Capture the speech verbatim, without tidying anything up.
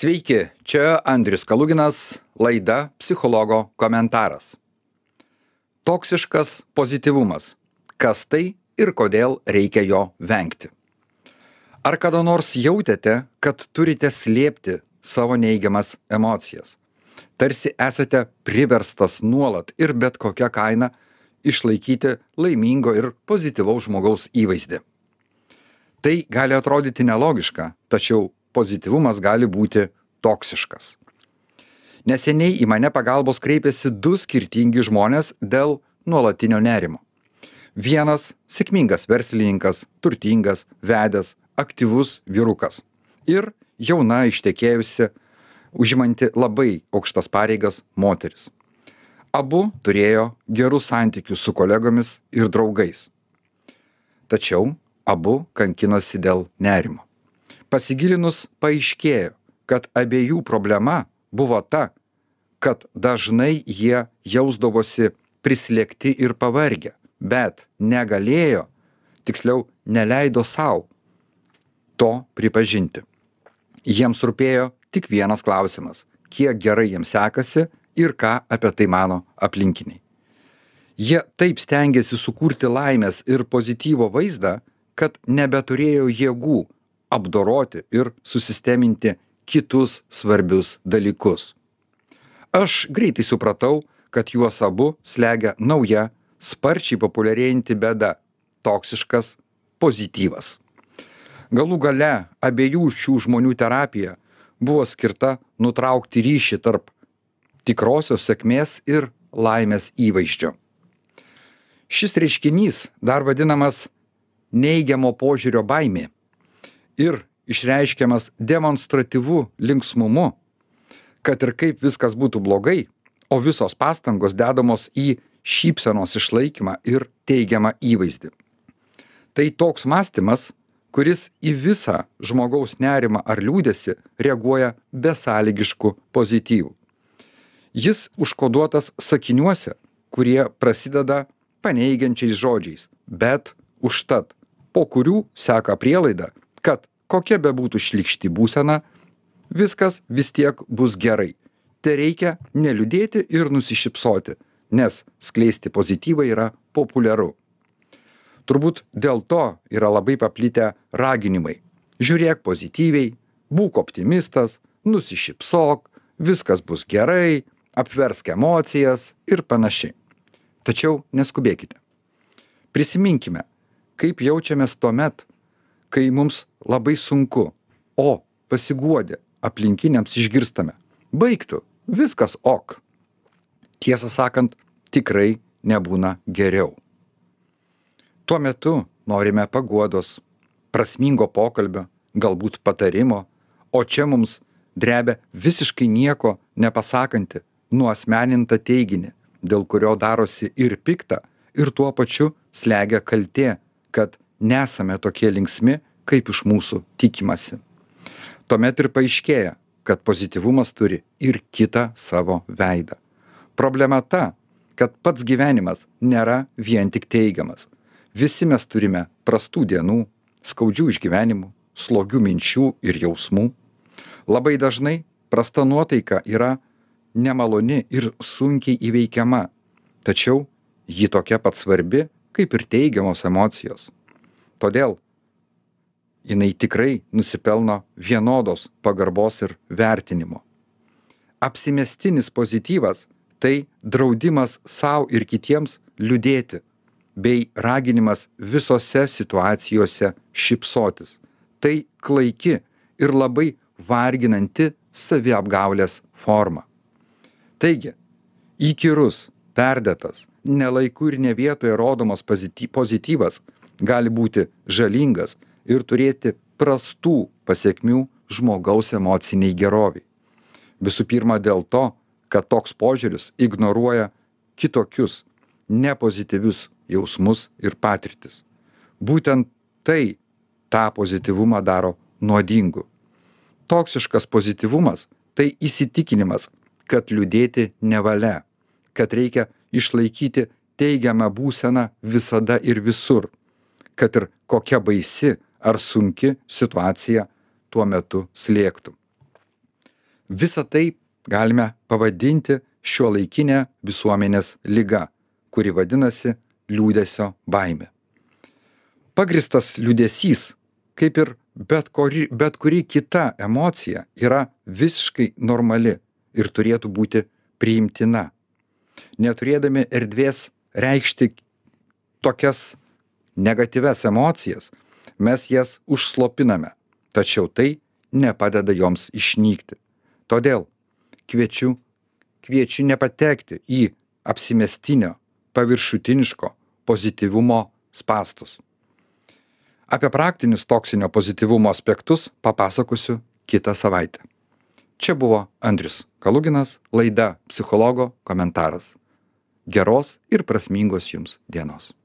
Sveiki, čia Andrius Kaluginas, laida Psichologo komentaras. Toksiškas pozityvumas. Kas tai ir kodėl reikia jo vengti? Ar kada nors jautėte, kad turite slėpti savo neigiamas emocijas? Tarsi esate priverstas nuolat ir bet kokia kaina išlaikyti laimingo ir pozityvaus žmogaus įvaizdį. Tai gali atrodyti nelogiška, tačiau pozityvumas gali būti toksiškas. Neseniai į mane pagalbos kreipėsi du skirtingi žmonės dėl nuolatinio nerimo. Vienas sėkmingas verslininkas, turtingas, vedęs, aktyvus vyrukas ir jauna ištekėjusi, užimanti labai aukštas pareigas moteris. Abu turėjo gerus santykius su kolegomis ir draugais. Tačiau abu kankinosi dėl nerimo. Pasigilinus paaiškėjo, kad abiejų problema buvo ta, kad dažnai jie jausdavosi prislėgti ir pavargę, bet negalėjo, tiksliau neleido sau to pripažinti. Jiems rūpėjo tik vienas klausimas, kiek gerai jiems sekasi ir ką apie tai mano aplinkiniai. Jie taip stengiasi sukurti laimės ir pozityvo vaizdą, kad nebeturėjo jėgų apdoroti ir susisteminti kitus svarbius dalykus. Aš greitai supratau, kad juos abu slegia nauja, sparčiai populiarėjanti bėda – toksiškas pozityvas. Galų gale abiejų šių žmonių terapija buvo skirta nutraukti ryšį tarp tikrosios sėkmės ir laimės įvaizdžio. Šis reiškinys dar vadinamas neigiamo požiūrio baimė ir išreiškiamas demonstratyviu linksmumu, kad ir kaip viskas būtų blogai, o visos pastangos dedamos į šypsenos išlaikymą ir teigiamą įvaizdį. Tai toks mąstymas, kuris į visą žmogaus nerimą ar liūdesį reaguoja besąlygišku pozityvu. Jis užkoduotas sakiniuose, kurie prasideda paneigiančiais žodžiais, bet užtat, po kurių seka prielaida, kad kokia bebūtų šlykšti būsena, viskas vis tiek bus gerai. Tereikia neliūdėti ir nusišypsoti, nes skleisti pozityvą yra populiaru. Turbūt dėl to yra labai paplitę raginimai. Žiūrėk pozityviai, būk optimistas, nusišypsok, viskas bus gerai, apversk emocijas ir panašiai. Tačiau neskubėkite. Prisiminkime, kaip jaučiamės tuomet, kai mums labai sunku, o pasiguodę aplinkiniams išgirstame. Baigtų, viskas ok. Tiesą sakant, tikrai nebūna geriau. Tuo metu norime paguodos, prasmingo pokalbio, galbūt patarimo, o čia mums drebia visiškai nieko nepasakanti, nuasmeninta teiginį, dėl kurio darosi ir pikta, ir tuo pačiu slegia kaltė, kad nesame tokie linksmi, kaip iš mūsų tikimasi. Tuomet ir paaiškėja, kad pozityvumas turi ir kitą savo veidą. Problema ta, kad pats gyvenimas nėra vien tik teigiamas. Visi mes turime prastų dienų, skaudžių išgyvenimų, slogių minčių ir jausmų. Labai dažnai prasta nuotaika yra nemaloni ir sunkiai įveikiama, tačiau ji tokia pat svarbi, kaip ir teigiamos emocijos. Todėl jinai tikrai nusipelno vienodos pagarbos ir vertinimo. Apsimestinis pozityvas – tai draudimas sau ir kitiems liūdėti, bei raginimas visose situacijose šypsotis. Tai klaiki ir labai varginanti saviapgaulės forma. Taigi, įkyrus, perdėtas, ne laiku ir ne vietoje rodomas pozityvas gali būti žalingas ir turėti prastų pasekmių žmogaus emociniai geroviai. Visų pirma dėl to, kad toks požiūris ignoruoja kitokius, nepozityvius jausmus ir patirtis. Būtent tai tą pozityvumą daro nuodingu. Toksiškas pozityvumas – tai įsitikinimas, kad liūdėti nevalia, kad reikia išlaikyti teigiamą būseną visada ir visur, kad ir kokia baisi ar sunki situacija tuo metu slėgtų. Visa tai galime pavadinti šiuolaikinė visuomenės liga, kuri vadinasi liūdesio baimė. Pagristas liūdesys, kaip ir bet kuri, bet kuri kita emocija, yra visiškai normali ir turėtų būti priimtina. Neturėdami erdvės reikšti tokias negatyvias emocijas, mes jas užslopiname, tačiau tai nepadeda joms išnykti. Todėl kviečiu, kviečiu nepatekti į apsimestinio, paviršutiniško pozityvumo spąstus. Apie praktinius toksinio pozityvumo aspektus papasakosiu kitą savaitę. Čia buvo Andrius Kaluginas, laida Psichologo komentaras. Geros ir prasmingos jums dienos.